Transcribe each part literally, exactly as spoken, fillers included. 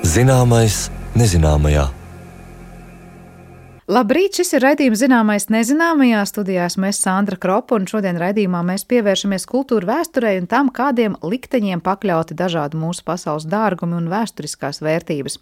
Zināmais nezināmajā. Labrīt, šis ir raidījums Zināmais nezināmajā. Studijā esmu es Sandra Kropa, un šodien raidījumā mēs pievēršamies kultūra vēsturei un tam, kādiem likteņiem pakļauti dažādi mūsu pasaules dārgumi un vēsturiskās vērtības.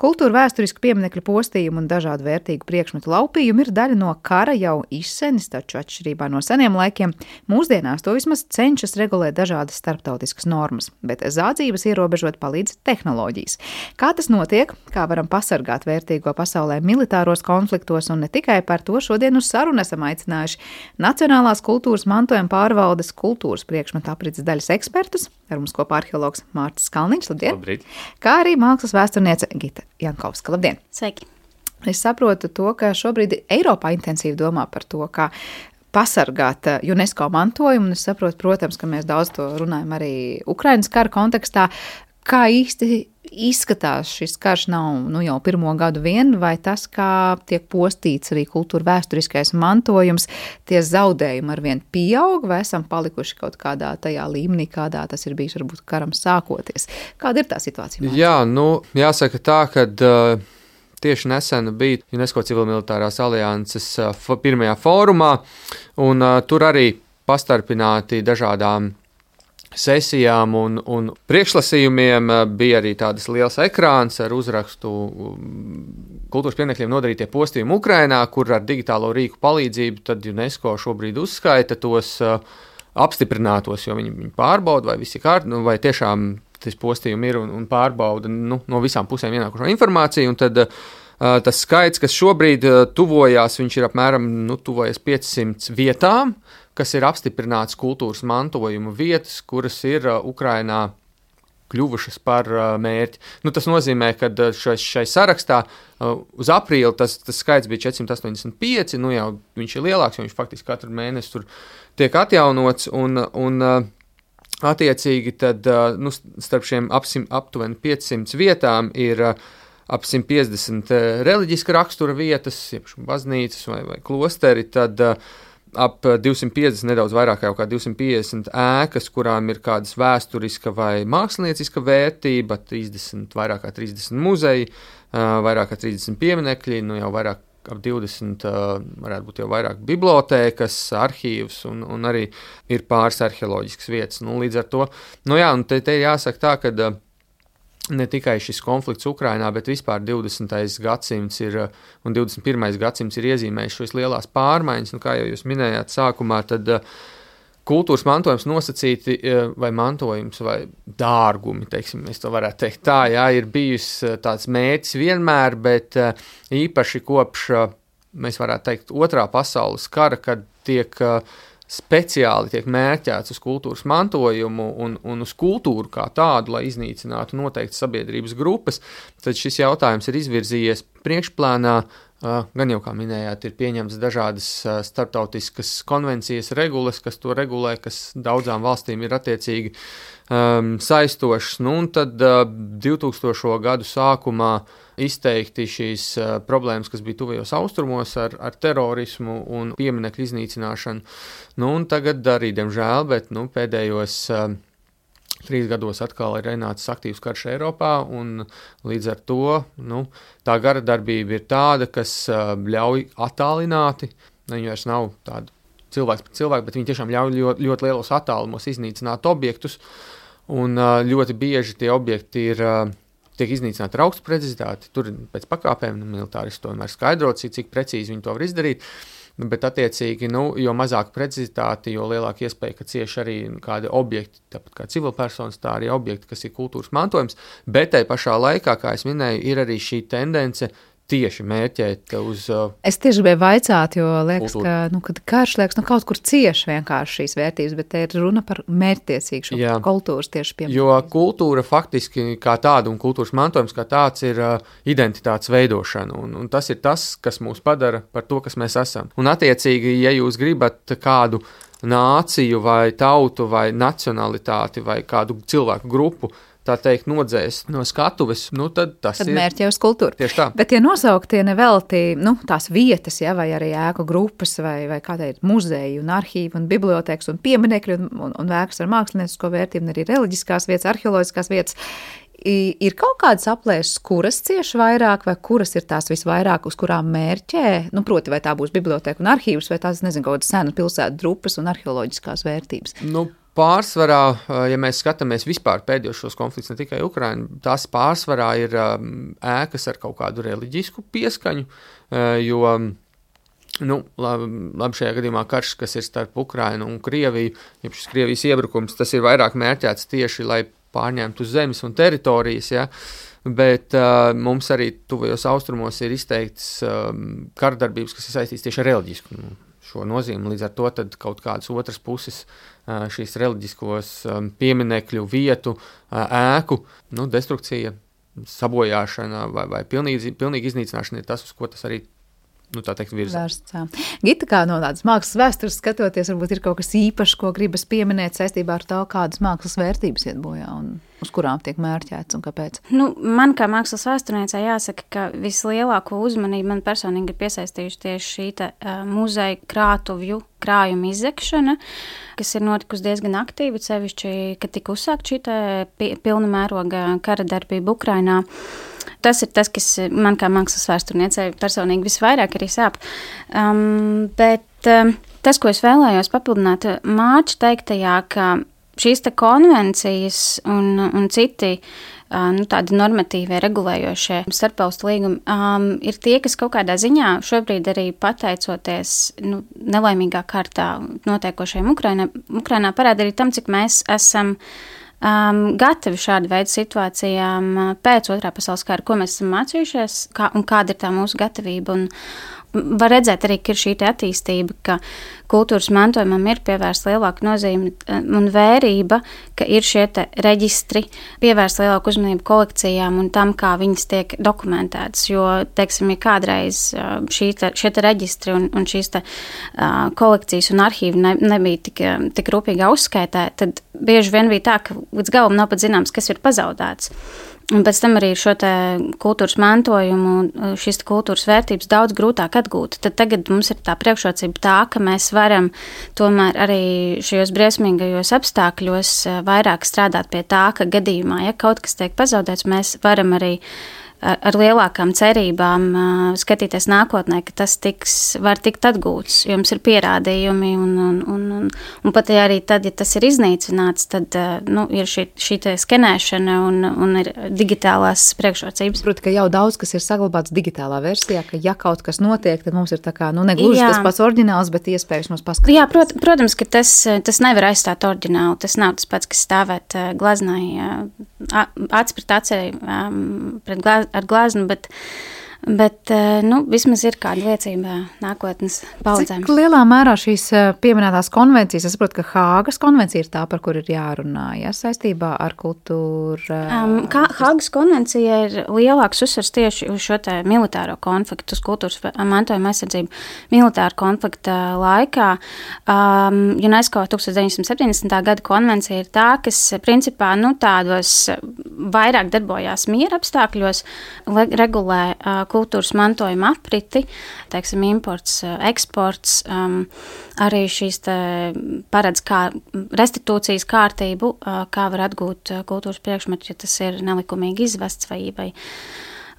Kultūra vēsturisku pieminekļu postījumu un dažādu vērtīgu priekšmetu laupījumu ir daļa no kara jau izsenis, taču atšķirībā no seniem laikiem mūsdienās to vismaz cenšas regulēt dažādas starptautiskas normas, bet zādzības ierobežot palīdz tehnoloģijas. Kā tas notiek? Kā varam pasargāt vērtīgo pasaulē militāros konfliktos? Un ne tikai par to šodien uz sarunu esam aicinājuši Nacionālās kultūras mantojuma pārvaldes kultūras priekšmetu aprits daļas ekspertus, ar mums kopā arheologs Mārcis Kalniņš, labdien! Labrīt! Kā arī mākslas vēsturniece Gita Jankovska, labdien! Sveiki! Es saprotu to, ka šobrīd Eiropā intensīvi domā par to, kā pasargāt UNESCO mantojumu, un es saprotu, protams, ka mēs daudz to runājam arī Ukrainas kara kontekstā. Kā īsti izskatās šis karš nav nu, jau pirmo gadu vien, vai tas, kā tiek postīts arī kultūra vēsturiskais mantojums, tie zaudējumi arvien pieaug, vai esam palikuši kaut kādā tajā līmenī, kādā tas ir bijis varbūt karam sākoties? Kāda ir tā situācija? Māc? Jā, nu, jāsaka tā, ka uh, tieši nesen bija UNESCO civilmilitārās alianses uh, pirmajā fórumā, un uh, tur arī pastarpināti dažādām sesijām un, un priekšlasījumiem bija arī tādas liels ekrāns ar uzrakstu kultūras pieminekļiem nodarītie postījumi Ukrainā, kur ar digitālo rīku palīdzību tad UNESCO šobrīd uzskaita tos uh, apstiprinātos, jo viņi, viņi pārbauda, vai visi kārt, nu, vai tiešām tas postījumi ir un, un pārbauda nu, no visām pusēm ienākušo informāciju, un tad uh, tas skaits, kas šobrīd uh, tuvojās, viņš ir apmēram nu, tuvojas piecsimt vietām, kas ir apstiprināts kultūras mantojuma vietas, kuras ir uh, Ukrainā kļuvušas par uh, mērķi. Nu, tas nozīmē, ka uh, šai, šai sarakstā uh, uz aprīli tas, tas skaits bija četri simti astoņdesmit pieci, nu jau viņš ir lielāks, jo viņš faktiski katru mēnesi tur tiek atjaunots, un, un uh, attiecīgi tad uh, nu, starp šiem apsim, aptuveni piecsimt vietām ir uh, ap simt piecdesmit uh, reliģiska rakstura vietas, jebšu baznīcas vai, vai klosteri, tad uh, ap divsimt piecdesmit, nedaudz vairāk jau kā divsimt piecdesmit ēkas, kurām ir kādas vēsturiska vai mākslinieciska vērtība, trīsdesmit, vairāk kā trīsdesmit muzeji, vairāk kā trīsdesmit pieminekļi, nu jau vairāk ap divdesmit, varētu būt jau vairāk bibliotēkas, arhīvs un, un arī ir pāris arheoloģiskas vietas. Nu, līdz ar to, nu jā, un te, te jāsaka tā, ka ne tikai šis konflikts Ukrainā, bet vispār divdesmitais gadsimts ir, un divdesmit pirmais gadsimts ir iezīmējis šos lielās pārmaiņas, un kā jau jūs minējāt sākumā, tad kultūras mantojums nosacīti, vai mantojums, vai dārgumi, teiksim, mēs to varētu teikt tā, jā, ir bijis tāds mērķis vienmēr, bet īpaši kopš, mēs varētu teikt, otrā pasaules kara, kad tiek speciāli tiek mērķēts uz kultūras mantojumu un, un uz kultūru kā tādu, lai iznīcinātu noteikti sabiedrības grupas, tad šis jautājums ir izvirzījies priekšplānā, gan jau, kā minējāt, ir pieņemts dažādas starptautiskas konvencijas regulas, kas to regulē, kas daudzām valstīm ir attiecīgi um, saistošas, nu un tad uh, divtūkstošo gadu sākumā izteikti šīs uh, problēmas, kas bija tuvajos austrumos ar, ar terorismu un pieminekļu iznīcināšanu. Nu, un tagad arī, diemžēl, bet nu, pēdējos uh, trīs gados atkal ir ienācis aktīvs karš Eiropā, un līdz ar to nu, tā gara darbība ir tāda, kas uh, ļauj attālināti, viņi vairs nav tādi cilvēks pret cilvēku, bet viņi tiešām ļauj ļoti, ļoti lielos attālumos iznīcināt objektus, un uh, ļoti bieži tie objekti ir uh, tiek iznīcināti ar augstu precizitāti, tur pēc pakāpēm nu, militāristi to vienmēr skaidro, cik, cik precīzi viņi to var izdarīt, bet attiecīgi, nu, jo mazāk precizitāti, jo lielāka iespēja, ka cieši arī kādi objekti, tāpat kā civilpersonas, tā arī objekti, kas ir kultūras mantojums, bet tai pašā laikā, kā es minēju, ir arī šī tendence tieši mērķēt uz uh, Es tieši gribēju vaicāt, jo liekas, kultūru. ka, nu, kad karš liekas, nu, kaut kur cieši vienkārši šīs vērtības, bet te ir runa par mērķtiecīgu šo Jā. kultūras tieši piemēram. Jo kultūra faktiski kā tāda un kultūras mantojums kā tāds ir uh, identitātes veidošana, un, un tas ir tas, kas mūs padara par to, kas mēs esam. Un attiecīgi, ja jūs gribat kādu nāciju vai tautu vai nacionalitāti vai kādu cilvēku grupu tā teikt, nodzēst no skatuves, nu tad tas tad ir... Tad mērķi uz kultūru. Tieši tā. Bet tie nosauktie nevelti, nu, tās vietas, ja, vai arī ēku grupas, vai, vai kā teikt, muzeji un arhīvi un bibliotēkas un pieminekļi un, un, un ēkas ar māksliniecisko vērtību, un arī reliģiskās vietas, arheoloģiskās vietas, Ir kaut kādas aplēses, kuras cieši vairāk, vai kuras ir tās visvairāk, uz kurām mērķē? Nu, proti, vai tā būs biblioteka un arhīvs, vai tās, nezinu, kaut kādas senu pilsētu drupas un arheoloģiskās vērtības? Nu, pārsvarā, ja mēs skatāmies vispār pēdējos šos konfliktus, ne tikai Ukrainu, tās pārsvarā ir ēkas ar kaut kādu reliģisku pieskaņu, jo Nu, labi, labi šajā gadījumā karš, kas ir starp Ukrainu un Krieviju, ja šis Krievijas iebrukums, tas ir vairāk mērķēts tieši, lai pārņemtu zemes un teritorijas, ja? Bet uh, mums arī tuvajos austrumos ir izteikts um, kardarbības, kas ir saistīts tieši ar reliģisku nu, šo nozīmi. Līdz ar to tad kaut kādas otras puses uh, šīs reliģiskos um, pieminekļu vietu, uh, ēku, nu, destrukcija, sabojāšana vai, vai pilnīgi, pilnīgi iznīcināšana ir tas, uz ko tas arī Nu, tā teikt, vērsts. Gita, kā no tādas mākslas vēstures skatoties, varbūt ir kaut kas īpašs, ko gribas pieminēt saistībā ar to, kādas mākslas vērtības iet bojā un uz kurām tiek mērķēts un kāpēc? Nu, man kā mākslas vēsturniecei jāsaka, ka vislielāko uzmanību man personīgi ir piesaistījuši tieši šī te, uh, muzeja krātuvju krājuma izzegšana, kas ir notikusi diezgan aktīvi, sevišķi, kad tika uzsākt šī te pilna mēroga kara darbība Ukrainā. Tas ir tas, kas man kā mākslas vēsturniecei personīgi visvairāk arī sāp. Um, bet um, tas, ko es vēlējos papildināt Mārča teiktajā, ka šīs te konvencijas un, un citi uh, nu, tādi normatīvie regulējošie starpvalstu līgumi um, ir tie, kas kaut kādā ziņā šobrīd arī pateicoties nu, nelaimīgā kārtā notiekošajiem Ukrainā, Ukrainā parāda arī tam, cik mēs esam Um, gatavi šādu veidu situācijām pēc otrā pasaules kara, ko mēs esam mācījušies kā, un kāda ir tā mūsu gatavība. Un var redzēt arī, ka ir šī attīstība, ka kultūras mantojumam ir pievērsta lielāka nozīme un vērība, ka ir šie te reģistri, pievērsta lielāku uzmanību kolekcijām un tam, kā viņas tiek dokumentētas. Jo, teiksim, ja kādreiz šī te, šie te reģistri un, un šīs te uh, kolekcijas un arhīvi ne, nebija tik, tik rūpīgi uzskaitē, tad bieži vien bija tā, ka līdz galam nav pat zināms, kas ir pazaudēts. Un pēc tam arī šo te kultūras mantojumu, šīs te kultūras vērtības daudz grūtāk atgūt. Tad tagad mums ir tā priekšrocība tā, ka mēs varam tomēr arī šajos briesmīgajos apstākļos vairāk strādāt pie tā, ka gadījumā, ja kaut kas tiek pazaudēts, mēs varam arī ar, ar lielākām cerībām uh, skatīties nākotnē, ka tas tiks, var tikt atgūts, jo mums ir pierādījumi un, un, un, un, un pat arī tad, ja tas ir iznīcināts, tad uh, nu, ir šī, šī te skenēšana un, un ir digitālās priekšrocības. Proti, ka jau daudz, kas ir saglabāts digitālā versijā, ka ja kaut kas notiek, tad mums ir tā kā, nu, negluži Jā. tas pats oriģināls, bet iespējas mums paskatīties. Jā, prot, protams, ka tas, tas nevar aizstāt oriģinālu, tas nav tas pats, kas stāvēt uh, glaznai, uh, aci pret acei, um, pret glaz, ar glaznu, bet, bet nu, vismaz ir kāda liecība nākotnes paudzēm. Cik lielā mērā šīs pieminētās konvencijas, es saprotu, ka Hāgas konvencija ir tā, par kur ir jārunā, ja, saistībā ar kultūru? Um, kā Hāgas konvencija ir lielāks uzsvars tieši uz šo te militāro konfliktu, uz kultūras mantojuma aizsardzību militāra konflikta laikā. Um, UNESCO tūkstoš deviņsimt septiņdesmitā gada konvencija ir tā, kas principā nu, tādos vairāk darbojās miera apstākļos, regulē uh, kultūras mantojuma apriti, teiksim, imports, eksports, um, arī šīs te paredz kā restitūcijas kārtību, uh, kā var atgūt kultūras priekšmetu, ja tas ir nelikumīgi izvests vai, vai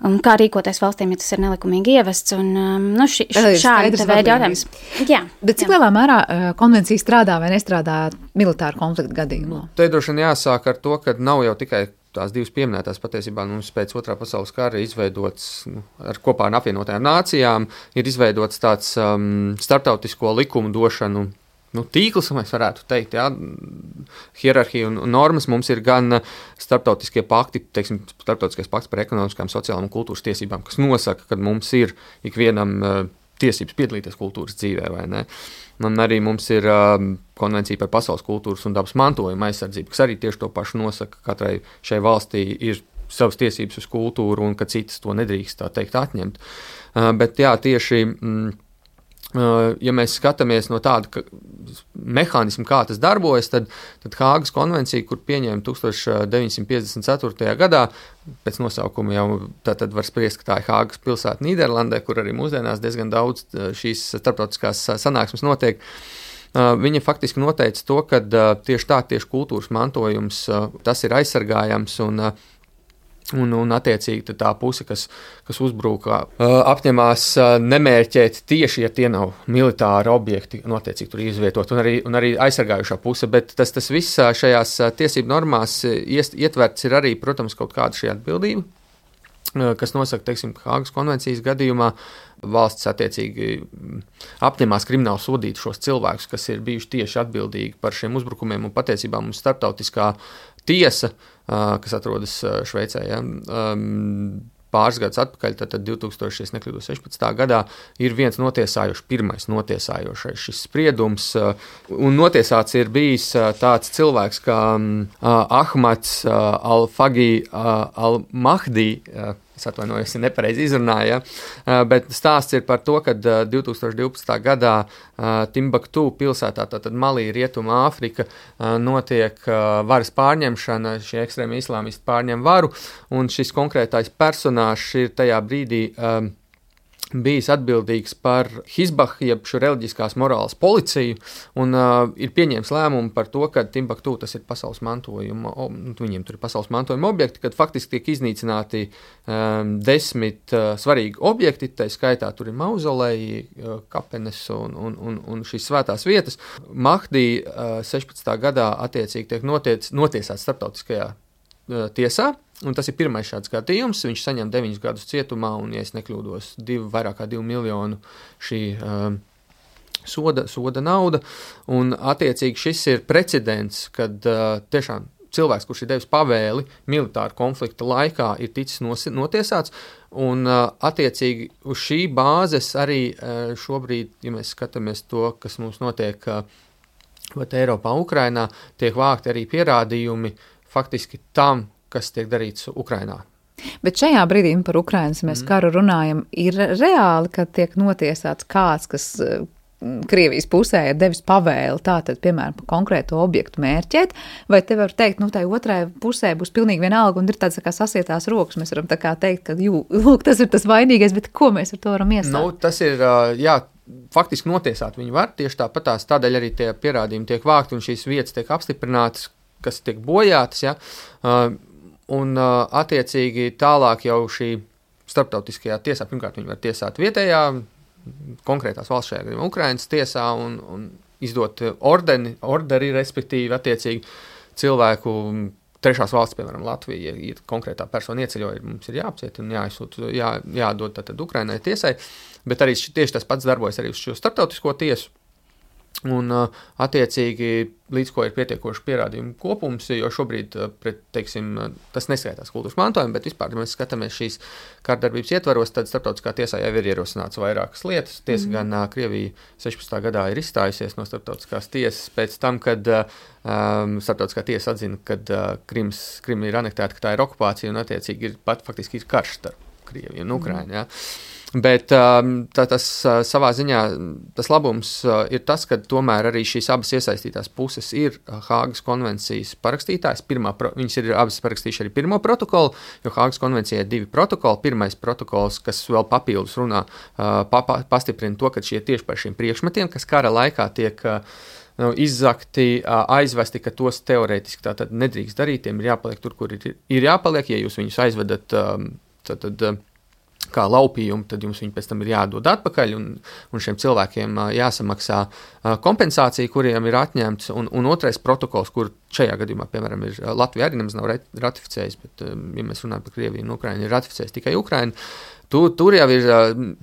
un kā rīkoties valstīm, ja tas ir nelikumīgi ievests, un um, nu, ši, šādi te veidi jautājums. Jā. Bet cik jā. lielā mērā uh, konvencija strādā vai nestrādā militāru konfliktu gadījumā? Nu, te droši vien jāsāk ar to, ka nav jau tikai tās divas pieminētās patiesībā mums pēc otrā pasaules kara izveidots, nu, ar kopā ar apvienotajām nācijām, ir izveidots tāds um, starptautisko likumu došanu nu, tīkls, mēs varētu teikt, jā, hierarhija un normas. Mums ir gan starptautiskie pakti, teiksim, starptautiskais pakts par ekonomiskām, sociālām un kultūras tiesībām, kas nosaka, ka mums ir ikvienam uh, tiesības piedalīties kultūras dzīvē, vai ne? Un arī mums ir um, konvencija par pasaules kultūras un dabas mantojuma aizsardzību, kas arī tieši to pašu nosaka, ka katrai šai valstī ir savas tiesības uz kultūru un ka citas to nedrīkst, tā teikt, atņemt. Uh, bet jā, tieši, mm, uh, ja mēs skatāmies no tāda ka, mehānismu, kā tas darbojas, tad, tad Hāgas konvencija, kur pieņēma tūkstoš deviņsimt piecdesmit ceturtajā gadā, pēc nosaukuma jau tad var spriest, ka tā ir Hāgas pilsēta Nīderlandē, kur arī mūsdienās diezgan daudz šīs starptautiskās sanāksmes notiek. Viņa faktiski noteica to, ka tieši tā, tieši kultūras mantojums, tas ir aizsargājams un Un, un attiecīgi tā puse, kas, kas uzbruka, apņemās nemērķēt tieši, ja tie nav militāri objekti, un attiecīgi tur izvietot, un arī, un arī aizsargājušā puse, bet tas, tas viss šajās tiesību normās ietverts ir arī, protams, kaut kāda šī atbildība, kas nosaka, teiksim, Hāgas konvencijas gadījumā valsts attiecīgi apņemās krimināli sodīt šos cilvēkus, kas ir bijuši tieši atbildīgi par šiem uzbrukumiem, un patiesībā mums starptautiskā tiesa, kas atrodas Šveicē, ja, pāris gadus atpakaļ, tad divi tūkstoši sešpadsmitajā gadā ir viens notiesājošs, pirmais notiesājošais šis spriedums, un notiesāts ir bijis tāds cilvēks kā Ahmads Al-Fagi Al-Mahdi, es atvainojos, ja nepareizi izrunāju, ja? Bet stāsts ir par to, ka divi tūkstoši divpadsmitajā gadā Timbuktu pilsētā, tātad Malī, Rietuma Āfrika, notiek varas pārņemšana, šie ekstrēmi islāmisti pārņem varu, un šis konkrētais personāžs ir tajā brīdī bijis atbildīgs par Hizbah, jeb šo reliģiskās morāles policiju, un uh, ir pieņēmis lēmumu par to, ka Timbuktu tas ir pasaules mantojuma, o, viņiem tur ir pasaules mantojuma objekti, kad faktiski tiek iznīcināti um, desmit uh, svarīgi objekti, tā skaitā tur ir mauzoleji, uh, kapenes un, un, un, un šīs svētās vietas. Mahdi uh, sešpadsmitajā gadā attiecīgi tiek notiec, notiesāts starptautiskajā uh, tiesā. Un tas ir pirmais šāds gadījums. Viņš saņem deviņus gadus cietumā un, ja es nekļūdos, divi, vairāk kā divu miljonu šī um, soda, soda nauda. Un attiecīgi šis ir precedents, kad uh, tiešām cilvēks, kurš ir devis pavēli militāru konflikta laikā, ir ticis nosi, notiesāts. Un uh, attiecīgi uz šī bāzes arī uh, šobrīd, ja mēs skatāmies to, kas mums notiek uh, Eiropā, Ukrainā, tiek vākti arī pierādījumi faktiski tam, kas tiek darīts Ukrainā. Bet šajā brīdī par Ukrainas mēs mm. karu runājam, ir reāli, ka tiek notiesāts kāds, kas Krievijas pusē ir devis pavēli tātad, piemēram, par konkrētu objektu mērķēt, vai te var teikt, nu, tai otrai pusē būs pilnīgi vienalga un ir tāds tā kā sasietās rokas, mēs varam tā kā teikt, ka, jū, lūk, tas ir tas vainīgais, bet ko mēs ar to varam iesākt? Nu, tas ir, jā, faktiski notiesāt viņi var, tieši tāpatās, tādēļ arī tie pierādījumi tiek vākti un šīs vietas tiek apstiprinātas, kas tiek bojātas, ja, un uh, attiecīgi tālāk jau šī starptautiskajā tiesā, pirmkārt viņi var tiesāt vietējā, konkrētās valsts šajā gadījumā Ukrainas tiesā un, un izdot ordeni, orderi, respektīvi attiecīgi cilvēku trešās valsts, piemēram, Latvija, ja konkrētā persona ieceļoja, mums ir jāapciet un jāizsūt, jā, jādod tātad Ukrainai tiesai, bet arī tieši tas pats darbojas arī uz šo starptautisko tiesu. Un, attiecīgi, līdz ko ir pietiekoši pierādījumu kopums, jo šobrīd, pret, teiksim, tas neskaitās kultūras mantojumu, bet vispār, ja mēs skatāmies šīs kārdarbības ietvaros, tad starptautiskā tiesā jau ir ierosināts vairākas lietas. Tiesa mm. gan Krievija sešpadsmitajā gadā ir izstājusies no starptautiskās tiesas pēc tam, kad um, starptautiskā tiesa atzina, kad uh, Krims, Krima ir anektēta, ka tā ir okupācija un, attiecīgi, ir pat faktiski ir karš starp Krieviju un Ukrainu, mm. ja. Bet tā, tas savā ziņā tas labums ir tas, ka tomēr arī šīs abas iesaistītās puses ir Hāgas konvencijas parakstītājs. Pirmā, viņas ir abas parakstījuši arī pirmo protokolu, jo Hāgas konvencijai ir divi protokoli. Pirmais protokols, kas vēl papildus runā, pa, pa, pastiprina to, ka šie tieši par šiem priekšmetiem, kas kara laikā tiek nu, izzakti, aizvesti, ka tos teorētiski tātad nedrīkst darīt, tiem ir jāpaliek tur, kur ir, ir jāpaliek, ja jūs viņus aizvedat tātad kā laupījumu, tad jums viņi pēc tam ir jādod atpakaļ, un, un šiem cilvēkiem jāsamaksā kompensācija, kuriem ir atņemts, un, un otrais protokols, kur šajā gadījumā, piemēram, ir Latvija arī nemaz nav ratificējis, bet, ja mēs runājam par Krieviju un Ukrainu, ir ratificējis tikai Ukraina. Tur, tur jau ir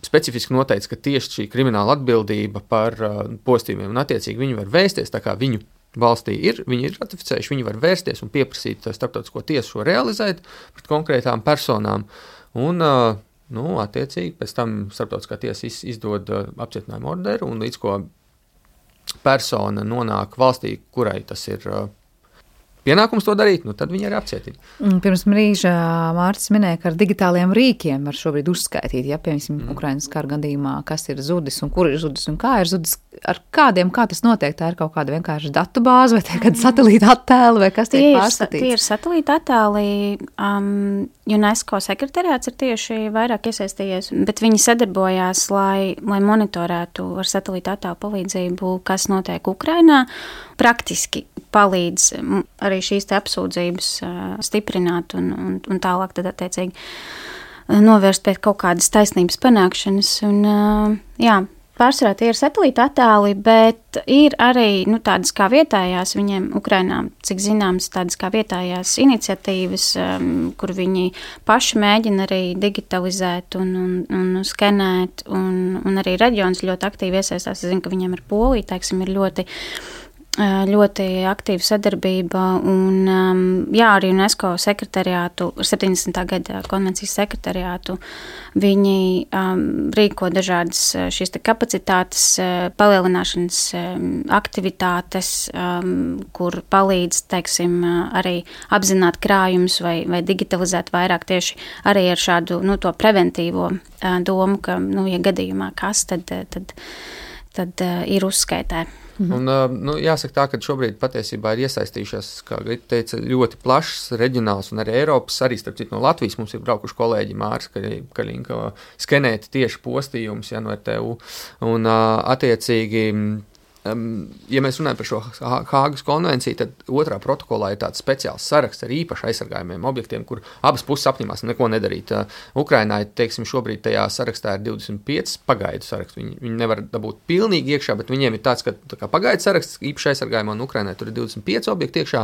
specifiski noteikts, ka tieši šī krimināla atbildība par postījumiem, un attiecīgi viņi var vēsties, tā kā viņu valstī ir, viņi ir ratificējuši, viņi var vērsties un pieprasīt starptautisko tiesu šo realizēt pret konkrētām personām, un nu, attiecīgi, pēc tam starptautiskā tiesa izdod uh, apcietinājumu orderu, un līdz ko persona nonāk valstī, kurai tas ir uh, pienākums to darīt, nu tad viņi arī apcietina. Pirms brīža Mārcis minēja, ka ar digitāliem rīkiem var šobrīd uzskaitīt, ja, piemēram, mm. Ukrainas kara gadījumā, kas ir zudis un kur ir zudis un kā ir zudis, ar kādiem, kā tas notiek, tā ir kaut kāda vienkārši datu bāze vai tie kāda satelīta attēli vai kas tiek pārskatīts? Tie ir satelīta attēli, um, UNESCO sekretariāts ir tieši vairāk iesaistījies, bet viņi sadarbojās, lai, lai monitorētu ar satelīta attēlu palīdzību, kas notiek Ukrainā. Praktiski palīdz arī šīs te apsūdzības stiprināt un, un, un tālāk tad attiecīgi novērst pēc kaut kādas taisnības panākšanas. Un, jā, pārsvarā tie ir satelīta attēli, bet ir arī nu, tādas kā vietējās viņiem Ukrainā, cik zināms, tādas kā vietējās iniciatīvas, um, kur viņi paši mēģina arī digitalizēt un, un, un skenēt, un, un arī reģions ļoti aktīvi iesaistās. Es zinu, ka viņiem ar Poliju, teiksim, ir ļoti ļoti aktīva sadarbība un, um, jā, arī UNESCO sekretariātu, septiņdesmitā gada konvencijas sekretariātu, viņi um, rīko dažādas šīs te kapacitātes palielināšanas um, aktivitātes, um, kur palīdz, teiksim, arī apzināt krājumus vai, vai digitalizēt vairāk tieši arī ar šādu, nu, to preventīvo uh, domu, ka, nu, ja gadījumā kas, tad, tad, tad uh, ir uzskaitē. Un, nu, jāsaka tā, ka šobrīd patiesībā ir iesaistījušās, kā Grita teica, ļoti plašs reģionāls un arī Eiropas, arī starp citu no Latvijas mums ir braukuši kolēģi Māris Kaļinka skenēt tieši postījumus, ja, no R T U. Un attiecīgi, ja mēs runājam par šo Hāgas konvenciju, tad otrā protokolā ir tāds speciāls saraksts ar īpaši aizsargājumiem objektiem, kur abas puses apņemās neko nedarīt. Ukrainā, teiksim, šobrīd tajā sarakstā ir divdesmit pieci pagaidu saraksts. Viņi, viņi nevar dabūt pilnīgi iekšā, bet viņiem ir tāds, ka tā kā pagaidu saraksts īpaši aizsargājumā, un Ukrainā tur ir divdesmit pieci objekti iekšā.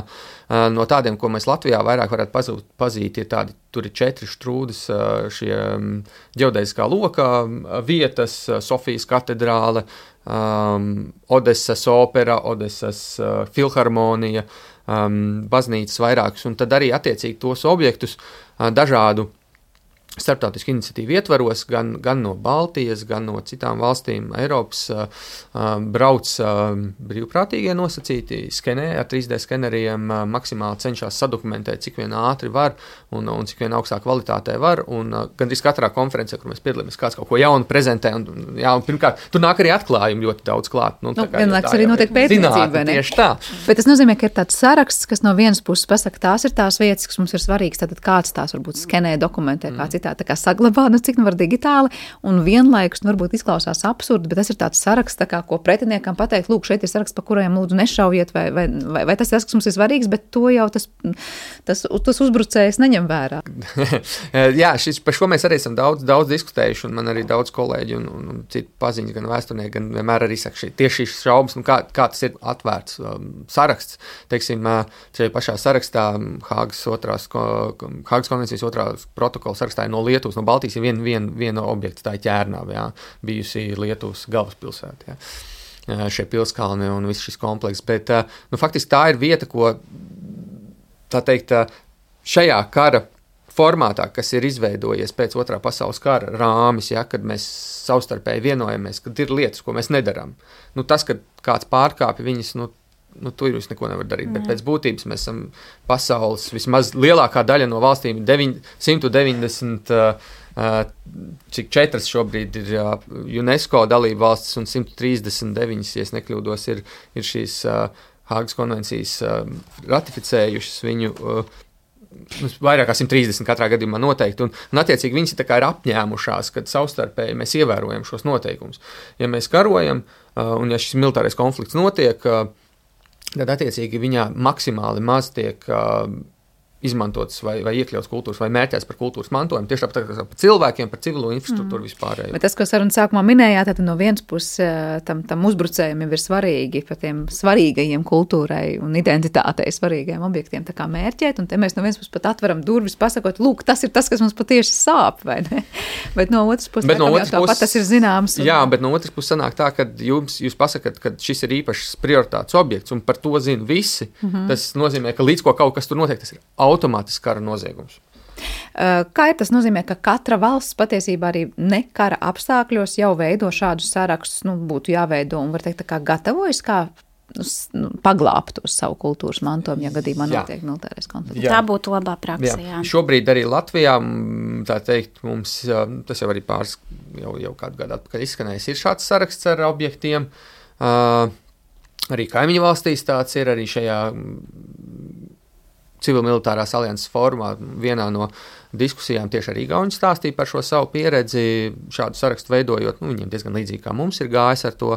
No tādiem, ko mēs Latvijā vairāk varētu pazūt, pazīt, ir tādi, tur ir četri štrūdas šie ģeodēziskā loka vietas, Sofijas katedrāle, Um, Odesas opera, Odesas uh, filharmonija, um, baznīcas vairākas, un tad arī attiecīgi tos objektus uh, dažādu starptautisku iniciatīvu ietvaros, gan, gan no Baltijas, gan no citām valstīm Eiropas uh, uh, brauc uh, brīvprātīgie nosacīti, skenē ar trīs D skeneriem, uh, maksimāli cenšas sadokumentēt, cik vien ātri var un, un cik vien augstā kvalitātē var, un uh, gandrīz katrā konferencē, kur mēs piedalāmies, kāds kaut ko jaunu prezentē, un, jā, un pirmkārt, tur nāk arī atklājumi ļoti daudz klāt. Nu, nu, vienlaikus arī notiek pētniecība, ne? Tieši tā. Bet tas nozīmē, ka ir tāds saraksts, kas no vienas puses pasaka, tās ir tās vietas, kas mums ir svarīgas, tātad kāds tās varbūt skenē, dokumentē, kā citā. Tā kā saglabā, nu cik nu var digitāli, un vienlaikus, nu varbūt izklausās absurdi, bet tas ir tāds saraksts, tā kā, ko pretiniekam pateikt, lūk, šeit ir saraksts, pa kurajiem lūdzu nešaujiet, vai, vai, vai, vai tas ir tas, kas mums ir svarīgs, bet to jau tas, tas, tas uzbrucējs neņem vērā. Jā, šis, par šo mēs arī esam daudz, daudz diskutējuši, un man arī daudz kolēģi un, un, un citu paziņas, gan vēsturnieki, gan vienmēr arī saka šī, tieši šīs šaubas, nu kā, kā tas ir atvērts um, saraksts, teiksim, šajā pašā sarakstā Hāgas otrās, Hāgas konvencijas otrās protokola sarakstā ir no Lietuvas, no Baltijas ir viena vien, viena objekta, tā ir Ķērnava, jā, bijusi Lietuvas galvaspilsēta, jā, šie pilskalni un viss šis komplekss, bet, nu, faktiski tā ir vieta, ko, tā teikt, šajā kara formātā, kas ir izveidojies pēc otrā pasaules kara rāmis, ja, kad mēs savstarpēji vienojamies, kad ir lietas, ko mēs nedaram. Nu, tas, kad kāds pārkāpja viņas, nu, nu, tur jūs neko nevar darīt, bet pēc būtības mēs esam pasaules, vismaz lielākā daļa no valstīm, simt deviņdesmit, uh, cik četras šobrīd ir uh, UNESCO dalība valstis un simt trīsdesmit deviņas, ja es nekļūdos, ir, ir šīs uh, Hāgas konvencijas uh, ratificējušas viņu uh, vairāk kā simt trīsdesmit katrā gadījumā noteikti, un, un attiecīgi viņas tā kā ir apņēmušās, kad savstarpēji mēs ievērojam šos noteikumus. Ja mēs karojam, uh, un ja šis militārais konflikts notiek, uh, tad attiecīgi viņā maksimāli maz tiek uh, izmantots vai, vai iekļauts kultūras vai mērķēts par kultūras mantojumu, tieši tāpat kā par cilvēkiem, par civilo infrastruktūru mm. vispārējo. Bet tas, ko sarunas sākumā minējāt, tad no vienas puses tam, tam uzbrucējiem ir svarīgi par tiem svarīgajiem kultūrai un identitātei svarīgajiem objektiem tā kā mērķēt, un te mēs no vienas puses pat atveram durvis, pasakot, lūk, tas ir tas, kas mums patiesi sāp, vai ne? Bet no otras puses, no otras tāpat puses tas ir zināms. Un... Jā, bet no otras puses sanāk tā, ka jums, jūs pasakat, ka šis ir īpašs prioritāts objekts, un par to zina visi. Mm-hmm. Tas nozīmē, ka līdz ko kaut kas tur notiek, tas ir automātiski kara noziegums. Kā ir tas nozīmē, ka katra valsts patiesībā arī ne kara apstākļos jau veido šādus sarakstus, nu, būtu jāveido un var teikt, tā kā gatavojas, kā nu, paglābt uz savu kultūras mantojumu, ja gadījumā notiek militārais konflikts. Tā būtu labā praksa, jā. jā. Šobrīd arī Latvijā, tā teikt, mums, tas jau arī pāris, jau, jau kādu gadu atpakaļ izskanējis, ir šāds saraksts ar objektiem. Uh, arī kaimiņu valstīs tāds ir, arī šajā Civil-militārās alianses fórumā vienā no diskusijām tieši arī Igauni stāstīja par šo savu pieredzi, šādu sarakstu veidojot. Nu, viņiem diezgan līdzīgi kā mums ir gājis ar to,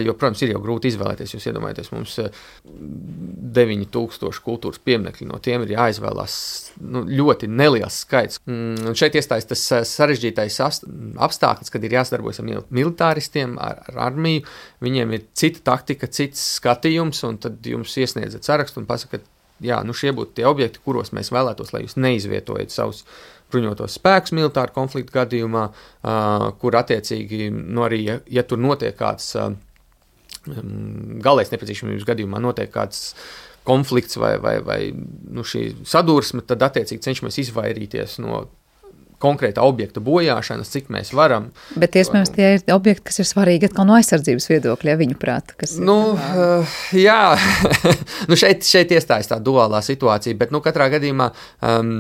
jo, protams, ir jau grūti izvēlēties. Jūs iedomājaties, mums deviņi tūkstoši kultūras pieminekļi, no tiem ir jāizvēlās nu, ļoti neliels skaits. Un šeit iestājas tas sarežģītais apstākļs, kad ir jāsadarbojas ar militāristiem, ar, ar armiju. Viņiem ir cita taktika, cits skatījums, un tad jums iesniedzat sarakstu un pasakat, jā, nu šie būtu tie objekti, kuros mēs vēlētos, lai jūs neizvietojat savus bruņotos spēkus militāru konfliktu gadījumā, uh, kur attiecīgi, nu arī, ja, ja tur notiek kāds uh, galējas nepieciešamības gadījumā, notiek kāds konflikts vai, vai, vai nu šī sadursme, tad attiecīgi cenšamies izvairīties no konkrēta objekta bojāšanas, cik mēs varam. Bet iespējams tie ir objekti, kas ir svarīgi atkal no aizsardzības viedokļa, ja viņu prāt. Kas nu, uh, jā, nu šeit, šeit iestājas tā duālā situācija, bet nu katrā gadījumā um,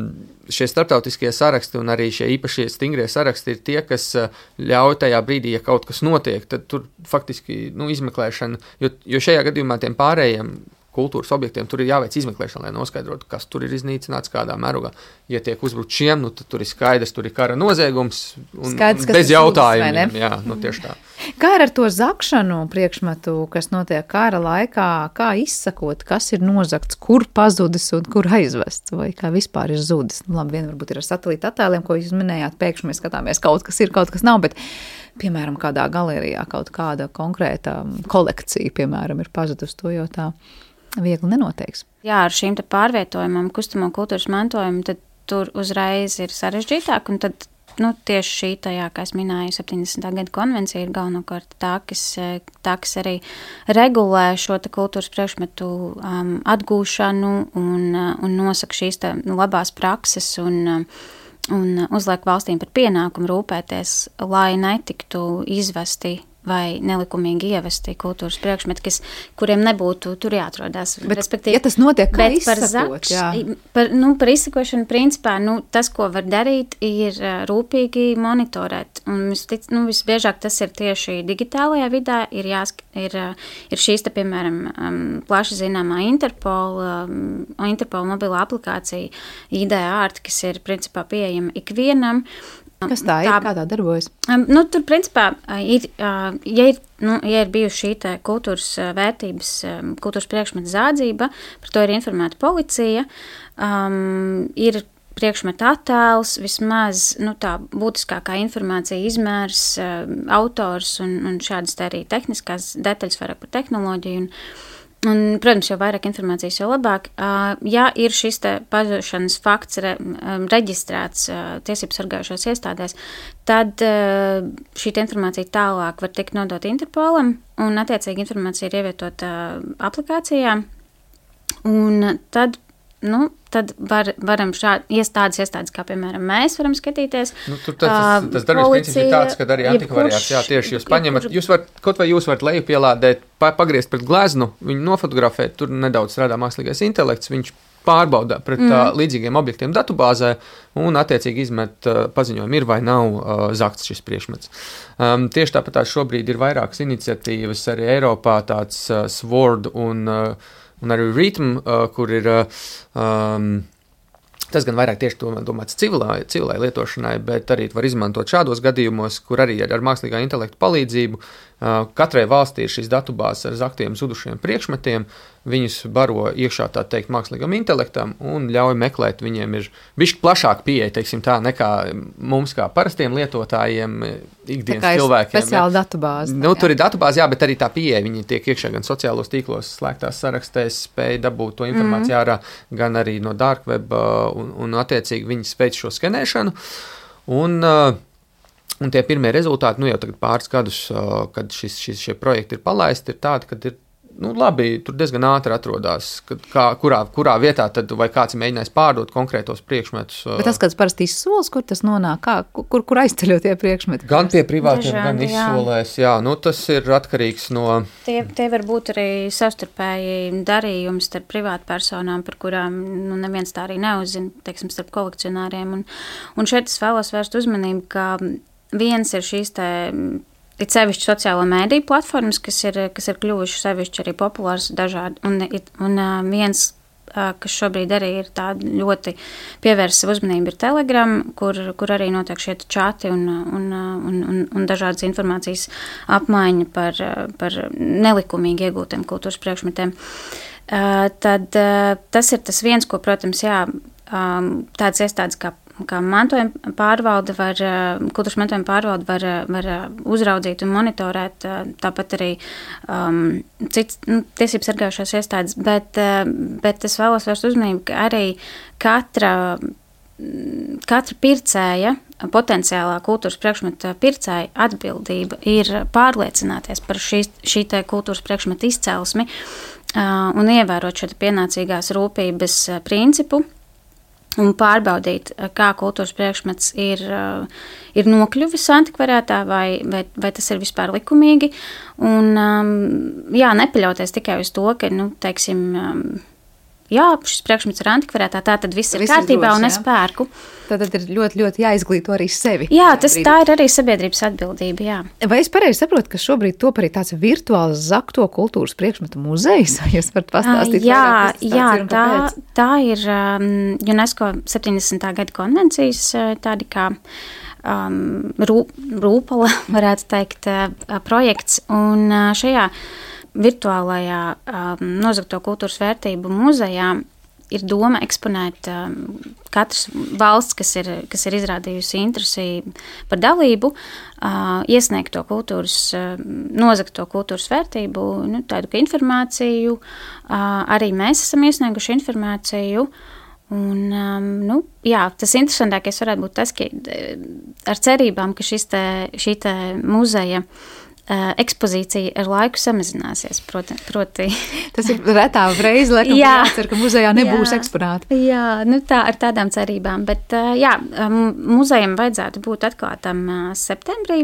šie starptautiskie saraksti un arī šie īpašie stingrie saraksti ir tie, kas ļauj tajā brīdī, ja kaut kas notiek, tad tur faktiski nu, izmeklēšana, jo, jo šajā gadījumā tiem pārējiem kultūras objektiem tur ir jāveic izmeklēšana, lai noskaidrotu, kas tur ir iznīcināts, kādā mērogā. Ja tiek uzbrukt šiem, nu tad tur ir skaidrs, tur ir kara noziegums un, skaidrs, un bez jautājumiem. Jā, nu tieši tā. Kā ir ar to zakšanu priekšmetu, kas notiek kara laikā, kā izsakot, kas ir nozagts, kur pazudis un kur aizvests, vai kā vispār ir zudis? Nu, labi, vien varbūt ir ar satelīta attēliem, ko jūs minējāt, pēkšņi mēs skatāmies, kaut kas ir, kaut kas nav, bet piemēram, kādā galerijā kaut kāda konkrēta kolekcija, piemēram, ir pazudus, to jau tā viegli nenoteiks. Jā, ar šīm te pārvietojumam, kustamo kultūras mantojumu, tad tur uzreiz ir sarežģītāk, un tad, nu, tieši šī tajā, kā es minēju, septiņdesmitā gada konvencija ir galvenokārt tā, kas, tā, kas arī regulē šo te kultūras priekšmetu um, atgūšanu un, un nosaka šīs te labās prakses un, un uzliek valstīm par pienākumu rūpēties, lai netiktu izvesti vai nelikumīgi ievesti kultūras priekšmeti, kas, kuriem nebūtu tur jāatrodās. Bet, ja tas notiek, kā izsakot, zakš, jā. Par, nu, par izsakošanu, principā, nu, tas, ko var darīt, ir rūpīgi monitorēt. Un tic, nu, visbiežāk tas ir tieši digitālajā vidē, ir, jāsk, ir, ir šīs, te, piemēram, plaši zināmā Interpol, Interpol mobilā aplikācija I D Art, kas ir, principā, pieejama ikvienam. Kas tā ir? Tā, kā tā darbojas? Um, nu, tur, principā, ir, uh, ja, ir, nu, ja ir bijusi šī te kultūras vērtības, um, kultūras priekšmeta zādzība, par to ir informēta policija, um, ir priekšmeta attēls, vismaz nu, tā būtiskākā informācija, izmērs, uh, autors un, un šādas tā arī tehniskās detaļas vairāk par tehnoloģiju un Un, protams, jo vairāk informācijas, jo labāk. Uh, ja ir šis te pazušanas fakts re, um, reģistrēts uh, tiesības sargājušās iestādēs, tad uh, šī informācija tālāk var tikt nodot Interpolam, un attiecīgi informācija ir ievietota uh, aplikācijā, un tad, nu, tad var, varam šādi iestādes, iestādes, kā piemēram mēs varam skatīties. Nu, tur tas, tas, tas darbības princips ir tāds, ka arī antikvariāts, jā, tieši jūs paņemat, jūs varat, kaut vai jūs varat leju pielādēt, pagriezt pret gleznu, viņu nofotografēt, tur nedaudz strādā mākslīgais intelekts, viņš pārbauda pret mm. uh, līdzīgiem objektiem datubāzē un attiecīgi izmet uh, paziņojumu, ir vai nav uh, zakts šis priekšmets. Um, tieši tāpat tā šobrīd ir vairākas iniciatīvas arī Eiropā, tāds uh, Sword un uh, un arī Rhythm, uh, kur ir, uh, um, tas gan vairāk tieši domāts civilai, civilai lietošanai, bet arī var izmantot šādos gadījumos, kur arī ar mākslīgā intelekta palīdzību uh, katrai valstī ir šīs datubāzes ar zaktiem zudušiem priekšmetiem, viņus baro iekšā, tā teikt, mākslīgam intelektam un ļauj meklēt, viņiem ir bišķi plašāk pieeja, teiksim tā, nekā mums kā parastiem lietotājiem, ikdienas cilvēkiem. Speciāla datubāze. Nu, tur ir datubāze, jā, bet arī tā pieeja, viņi tiek iekšā gan sociālos tīklos, slēgtās sarakstēs, spēj dabūt to informāciju ārā, mm-hmm. gan arī no dark web, un, un attiecīgi viņi spēj šo skenēšanu. Un, un tie pirmie rezultāti, nu jau tagad pāris gadus, kad šis, šis, šie projekti ir palaisti, ir tādi, kad ir nu, labi, tur diezgan ātri atrodas, kā, kurā, kurā vietā tad, vai kāds ir mēģinājis pārdot konkrētos priekšmetus. Bet tas kāds parasti izsols, kur tas nonāk, kā, kur, kur aizceļo tie priekšmeti? Gan pie privātiem, gan izsolēs, jā. jā, nu tas ir atkarīgs no... Tie, tie var būt arī savstarpēji darījumi starp privātpersonām, par kurām nu, neviens tā arī neuzzina, teiksim, starp kolekcionāriem. Un, un šeit es vēlos vērst uzmanību, ka viens ir šīs te... Ir sevišķi sociālo mēdīju platformas, kas ir, kas ir kļuvuši sevišķi arī populārs dažādi. Un, un viens kas šobrīd arī ir tāda ļoti pievērsa uzmanība, ir Telegram, kur, kur arī notiek šie čati un, un, un, un, un dažādas informācijas apmaiņa par, par nelikumīgi iegūtiem kultūras priekšmetiem. Tad tas ir tas viens, ko, protams, jā, tādas iestādes kā kā mantojuma pārvalde var, kultūras mantojuma pārvalde var, var uzraudzīt un monitorēt, tāpat arī um, cits nu, tiesības sargājušās iestādes, bet, bet es vēlos vērst uzmanību, ka arī katra, katra pircēja, potenciālā kultūras priekšmeta pircēja atbildība ir pārliecināties par šī, šī te kultūras priekšmeta izcelsmi uh, un ievērot šo pienācīgās rūpības principu, un pārbaudīt, kā kultūras priekšmets ir, ir nokļuvis antikvariātā, vai, vai, vai tas ir vispār likumīgi. Un, jā, nepaļauties tikai uz to, ka, nu, teiksim, jā, šis priekšmets ir antikvariātā, tā tad viss ir viss kārtībā ir dos, un es pērku. Tad ir ļoti, ļoti jāizglīto arī sevi. Jā, tas, tā ir arī sabiedrības atbildība, jā. Vai es pareizi saprotu, ka šobrīd top arī tāds virtuāls zakto kultūras priekšmetu muzejs? Jūs varat pastāstīt jā, vairāk, jā, ir tā, tā ir um, UNESCO septiņdesmitā gada konvencijas tādi kā um, rū, rūpala, varētu teikt, uh, projekts, un uh, šajā virtuālajā um, nozagto kultūras vērtību muzejā ir doma eksponēt um, katras valsts, kas ir, kas ir izrādījusi interesi par dalību, uh, iesniegt to kultūras, uh, nozagt to kultūras vērtību, nu, tādu kā informāciju. Uh, arī mēs esam iesnieguši informāciju. Un, um, nu, jā, tas interesantākais varētu būt tas, ka ar cerībām, ka šis te, šī te muzeja Uh, ekspozīcija ar laiku samazināsies, proti. proti. Tas ir retā reize, laikam, jā, jācer, ka muzejā nebūs jā, eksponāti. Jā, nu tā, ar tādām cerībām, bet uh, jā, muzejam vajadzētu būt atklātam uh, septembrī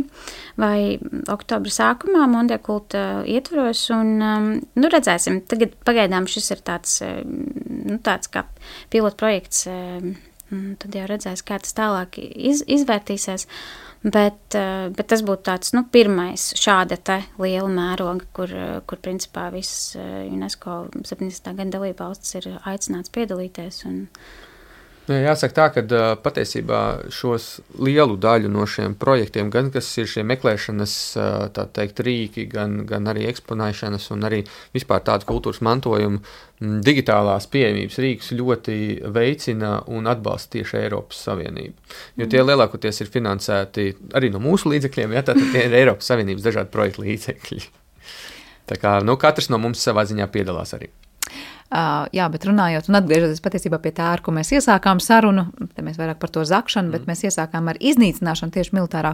vai oktobra sākumā, Mondia kulta ietvaros, un, um, nu, redzēsim, tagad pagaidām šis ir tāds, uh, nu, tāds kā pilotprojekts, uh, tad jau redzēs, kā tas tālāk iz, izvērtīsies. Bet, bet tas būtu tāds, nu, pirmais šāda te liela mēroga, kur, kur principā viss UNESCO septiņdesmitā gada dalībvalstis ir aicināts piedalīties. Un... Jāsaka tā, ka patiesībā šos lielu daļu no šiem projektiem, gan kas ir šie meklēšanas, tā teikt, rīki, gan, gan arī eksponēšanas un arī vispār tādu kultūras mantojumu, digitālās pieejamības rīkus ļoti veicina un atbalsta tieši Eiropas Savienība. Jo tie lielākoties ir finansēti arī no mūsu līdzekļiem, ja, tātad tie ir Eiropas Savienības dažādi projektu līdzekļi. Tā kā, nu, katrs no mums savā ziņā piedalās arī. Uh, jā, bet runājot un atgriežoties patiesībā pie tā, ar ko mēs iesākām sarunu, te mēs vairāk par to zakšanu, bet mm. mēs iesākām ar iznīcināšanu tieši militārā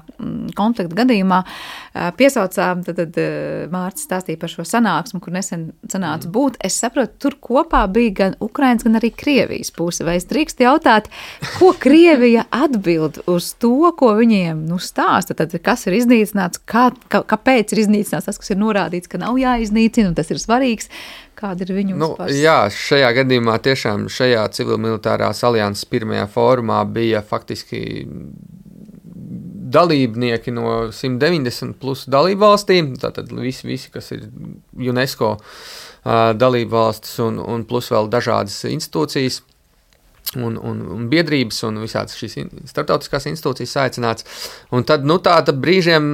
konflikta gadījumā. Uh, piesaucām, tad, tad uh, Mārcis stāstīja par šo sanāksmu, kur nesen sanāca mm. būt. Es saprotu, tur kopā bija gan Ukrainas, gan arī Krievijas puse. Vai es drīkst jautāt, ko Krievija atbild uz to, ko viņiem nu, stāsta? Tad, kas ir iznīcināts, kā, kā, kāpēc ir iznīcināts tas, kas ir norādīts, ka nav jāiznīcina, un tas ir svarīgs. Kāda ir viņu nu, uzpars? Jā, šajā gadījumā tiešām šajā civilmilitārās alianses pirmajā fórumā bija faktiski dalībnieki no simt deviņdesmit plus dalībvalstīm, tātad visi, visi kas ir UNESCO uh, dalībvalstis un, un plus vēl dažādas institūcijas. Un, un, un biedrības un visādas šīs starptautiskās institūcijas aicināts. Un tad, nu, tāda brīžiem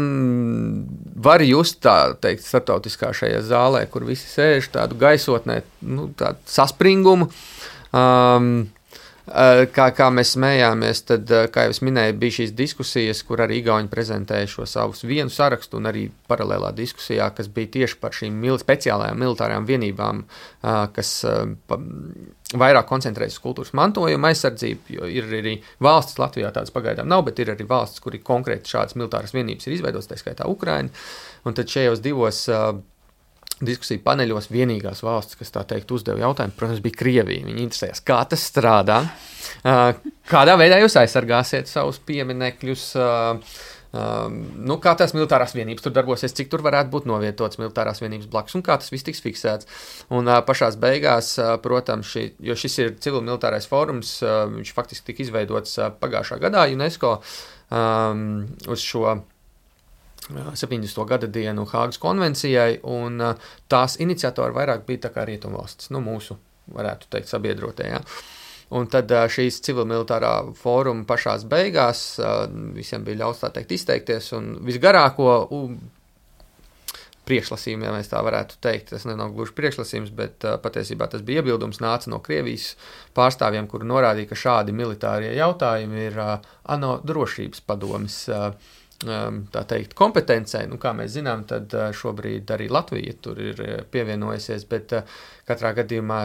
var just tā teikt starptautiskā šajā zālē, kur visi sēž tādu gaisotnē, nu, tādu saspringumu. Um, Kā, kā mēs smējāmies, tad, kā jau es minēju, bija šīs diskusijas, kur arī Igauņi prezentēja šo savus vienu sarakstu un arī paralēlā diskusijā, kas bija tieši par šīm mil- speciālajām militārajām vienībām, kas pa, vairāk koncentrējas uz kultūras mantojuma aizsardzību, jo ir arī valstis, Latvijā tādas pagaidām nav, bet ir arī valstis, kur ir konkrēti šādas militāras vienības ir izveidotas, tā skaitā Ukraina, un tad šajos divos diskusiju paneļos vienīgās valsts, kas tā teikt uzdeva jautājumu, protams, bija Krievija. Viņi interesējās, kā tas strādā, kādā veidā jūs aizsargāsiet savus pieminekļus, nu, kā tās militārās vienības tur darbosies, cik tur varētu būt novietotas militārās vienības blakus un kā tas viss tiks fiksēts. Un pašās beigās, protams, šī, jo šis ir civilmilitārais fórums, viņš faktiski tika izveidots pagājušā gadā UNESCO um, uz šo septiņdesmito gada dienu Hāgas konvencijai, un tās iniciatori vairāk bija tā kā rietumvalstis, nu mūsu varētu teikt, sabiedrotie. Ja. Un tad šīs civilmilitārā fóruma pašās beigās visiem bija ļauts tā teikt izteikties, un visgarāko priekšlasījumu, ja mēs tā varētu teikt, tas nav gluži priekšlasījums, bet uh, patiesībā tas bija iebildums, nāca no Krievijas pārstāvjiem, kuri norādīja, ka šādi militārie jautājumi ir uh, ANO drošības padomes uh, um, tā teikt kompetencē. Nu, kā mēs zinām, tad uh, šobrīd arī Latvija tur ir uh, pievienojusies, bet uh, katrā gadījumā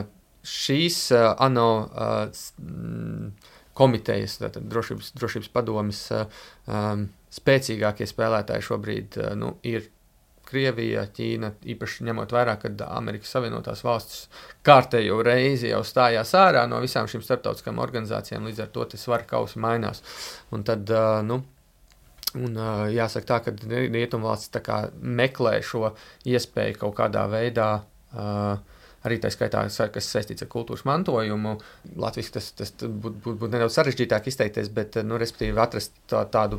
šīs uh, ANO uh, komitejas, tātad drošības, drošības padomes uh, um, spēcīgākie spēlētāji šobrīd uh, nu, ir Krievija, Ķīna, īpaši ņemot vērā, kad Amerikas Savienotās valstis kārtējo reizi jau stājās ārā no visām šīm starptautiskām organizācijām, līdz ar to tas svaru kausi mainās. Un tad, nu, un jāsaka tā, ka Rietumvalstis tā kā meklē šo iespēju kaut kādā veidā, arī tā skaitā, kas saistīts ar kultūras mantojumu. Latvijas tas, tas būtu būt, būt nedaudz sarežģītāk izteikties, bet, nu, respektīvi atrast tā, tādu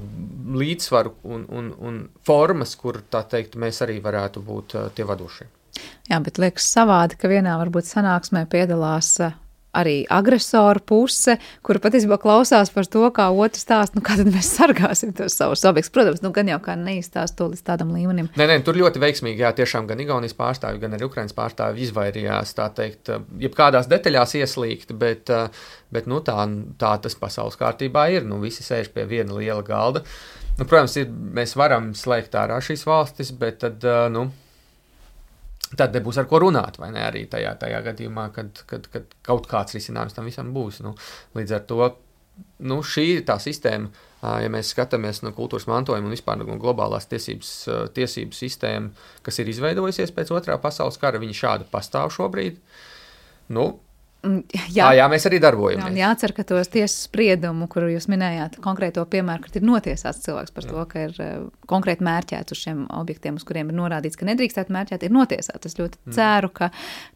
līdzsvaru un, un, un formas, kur, tā teikt, mēs arī varētu būt tie vadošie. Jā, bet liekas savādi, ka vienā varbūt sanāksmē piedalās arī agresoru puse, kura patiesībā klausās par to, kā otrs stāst, nu kā tad mēs sargāsim tos savus objektus. Protams, nu gan jau kā neizstāst to līdz tādam līmenim. Nē, nē, tur ļoti veiksmīgi, jā, tiešām gan Igaunijas pārstāvi, gan arī Ukrainas pārstāvi izvairījās, tā teikt, jebkādās detaļās ieslīgt, bet, bet nu tā, tā tas pasaules kārtībā ir, nu visi sēž pie viena liela galda. Nu, protams, ir, mēs varam slēgt ārā šīs valstis, bet tad, nu, tad nebūs ar ko runāt, vai ne, arī tajā, tajā gadījumā, kad, kad, kad kaut kāds risinājums tam visam būs. Nu, līdz ar to, nu, šī ir tā sistēma, ja mēs skatāmies no kultūras mantojuma un vispār no globālās tiesības, tiesības sistēma, kas ir izveidojusies pēc otrā pasaules kara, viņi šādi pastāv šobrīd. Nu, Jā, jā, mēs arī darbojamies. Jā, jācer, ka tos tiesas spriedumu, kuru jūs minējāt, konkrēto piemēru, kad ir notiesāts cilvēks par to, ka ir konkrēti mērķēts uz šiem objektiem, uz kuriem ir norādīts, ka nedrīkstētu mērķēt, ir notiesāts. Es ļoti ceru, ka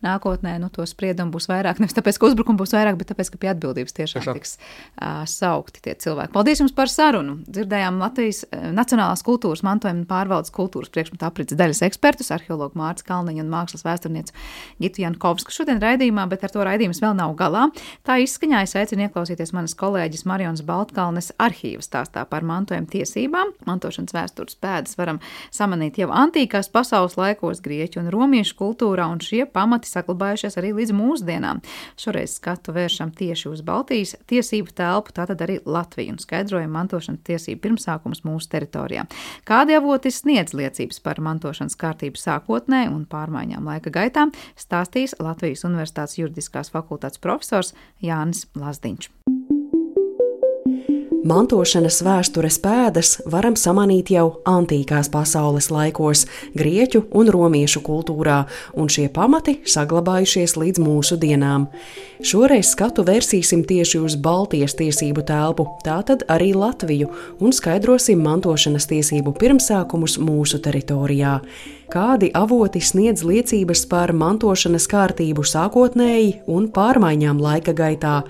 nākotnē nu, to spriedumu būs vairāk, nevis tāpēc, ka uzbrukumu būs vairāk, bet tāpēc, ka pie atbildības tiešām Tiešām. tiks uh, saukti tie cilvēki. Paldies jums par sarunu. Dzirdējām Latvijas Nacionālās kultūras mantojuma un pārvaldes kultūras priekšmetu aprits daļas ekspertus, arheologu Mārcis Kalniņu un mākslas vēsturnieci Gitu Jankovsku šodien raidījumā, bet ar to raidījums vēl nav galā. Tā izskaņā es aicinu ieklausīties manas kolēģis Marijonas Baltkalnes arhīva stāstā par mantojuma tiesībām. Mantošanas vēstures pēdas varam samanīt jau antīkās pasaules laikos grieķu un romiešu kultūrā, un šie pamati saglabājušies arī līdz mūsdienām. Šoreiz skatu vēršam tieši uz Baltijas tiesību telpu, tātad arī Latviju, un skaidrojam mantošanas tiesību pirmsākums mūsu teritorijā. Kādi avoti sniedz liecības par mantošanas kārtību sākotnē un pārmaiņām laika gaitā, stāstīs Latvijas Universitātes juridiskās fakultātes profesors Jānis Lazdiņš. Mantošanas vēstures pēdas varam samanīt jau antīkās pasaules laikos, grieķu un romiešu kultūrā, un šie pamati saglabājušies līdz mūsu dienām. Šoreiz skatu vērsīsim tieši uz Baltijas tiesību telpu, tātad arī Latviju, un skaidrosim mantošanas tiesību pirmsākumus mūsu teritorijā. Kādi avoti sniedz liecības par mantošanas kārtību sākotnēji un pārmaiņām laika gaitā?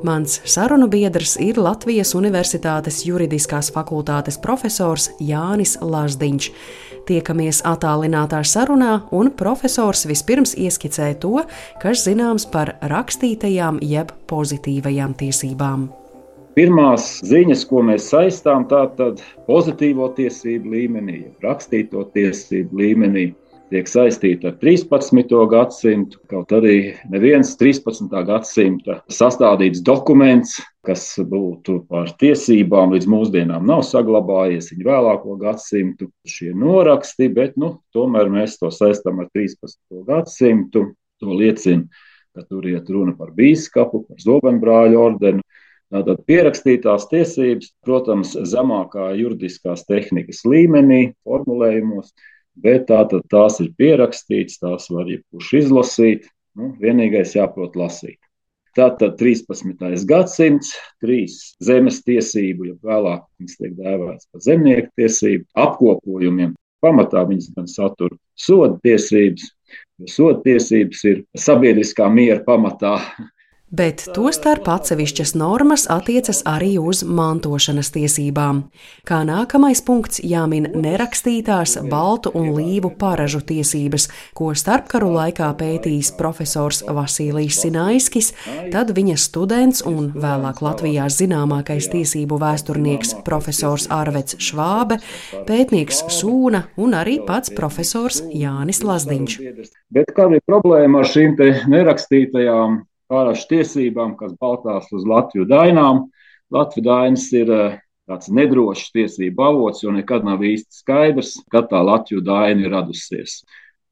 Mans sarunu biedrs ir Latvijas Universitātes juridiskās fakultātes profesors Jānis Lazdiņš. Tiekamies attālinātā sarunā, un profesors vispirms ieskicē to, kas zināms par rakstītajām jeb pozitīvajām tiesībām. Pirmās ziņas, ko mēs saistām, tātad pozitīvo tiesību līmenī, rakstīto tiesību līmenī, tiek saistīta ar trīspadsmito gadsimtu, kaut arī neviens trīspadsmitā gadsimta sastādīts dokuments, kas būtu par tiesībām līdz mūsdienām nav saglabājies, viņa vēlāko gadsimtu šie noraksti, bet nu, tomēr mēs to saistām ar trīspadsmito gadsimtu. To liecina, ka tur iet runa par bīskapu, par zobenbrāļu ordeni. Tātad pierakstītās tiesības, protams, zemākā juridiskās tehnikas līmenī, formulējumos, bet tātad tās ir pierakstītas, tās var jebkurš izlasīt, nu, vienīgais jāprot lasīt. Tātad trīspadsmitais gadsimts, trīs zemes tiesību, ja vēlāk viņas tiek dēvēts par zemnieku tiesību, apkopojumiem. Pamatā viņas gan satura soda tiesības, jo soda tiesības ir sabiedriskā miera pamatā. Bet tostarp atsevišķas normas attiecas arī uz mantošanas tiesībām. Kā nākamais punkts jāmin nerakstītās baltu un līvu paražu tiesības, ko starpkaru laikā pētījis profesors Vasilijs Sinaiskis, tad viņa students un vēlāk Latvijā zināmākais tiesību vēsturnieks profesors Arveds Švābe, pētnieks Sūna un arī pats profesors Jānis Lazdiņš. Bet kāda ir problēma ar šīm te nerakstītajām pārāšu tiesībām, kas balstās uz Latviju dainām? Latviju dainas ir tāds nedrošs tiesību avots, jo nekad nav īsti skaidrs, kad tā Latviju daina ir radusies.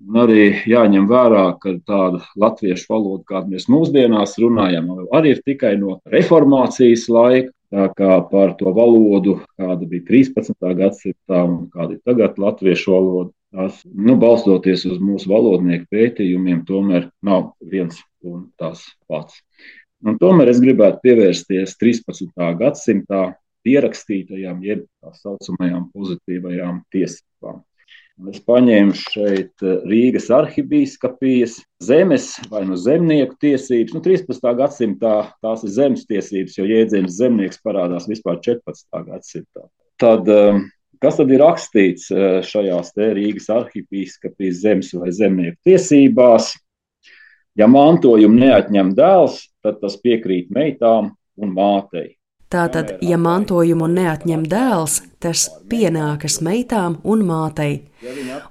Un arī jāņem vērā, ka tāda latviešu valoda, kādu mēs mūsdienās runājam, arī ir tikai no reformācijas laika. Tā kā par to valodu, kāda bija trīspadsmitā gadsimtā un kāda ir tagad latviešu valoda, tās, nu, balstoties uz mūsu valodnieku pētījumiem, tomēr nav viens un tas pats. Un tomēr es gribētu pievērsties trīspadsmitā gadsimtā pierakstītajām, jeb tā saucamajām pozitīvajām tiesībām. Es paņēmu šeit Rīgas arhibīskapijas zemes vai no zemnieku tiesības. Nu, trīspadsmitā gadsimtā tās ir zemes tiesības, jo jēdziens zemnieks parādās vispār četrpadsmitā gadsimtā. Tad, kas tad ir rakstīts šajās te Rīgas arhibīskapijas zemes vai zemnieku tiesībās? Ja mantojumu neatņem dēls, tad tas piekrīt meitām un mātei. Tātad, ja mantojumu neatņem dēls, tas pienākas meitām un mātei.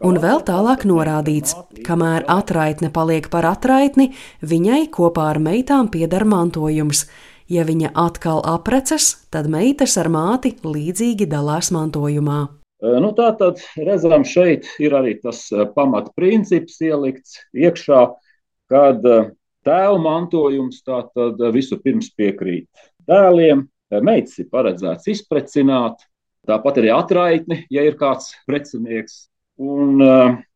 Un vēl tālāk norādīts, kamēr atraitne paliek par atraitni, viņai kopā ar meitām pieder mantojums. Ja viņa atkal aprecas, tad meitas ar māti līdzīgi dalās mantojumā. Nu, tātad, redzam, šeit ir arī tas pamatprincips ielikts iekšā, kad tēva mantojums tātad visu pirms piekrīt dēliem. Meitas ir paredzēts izprecināt, tāpat arī atraitni, ja ir kāds precinieks. Un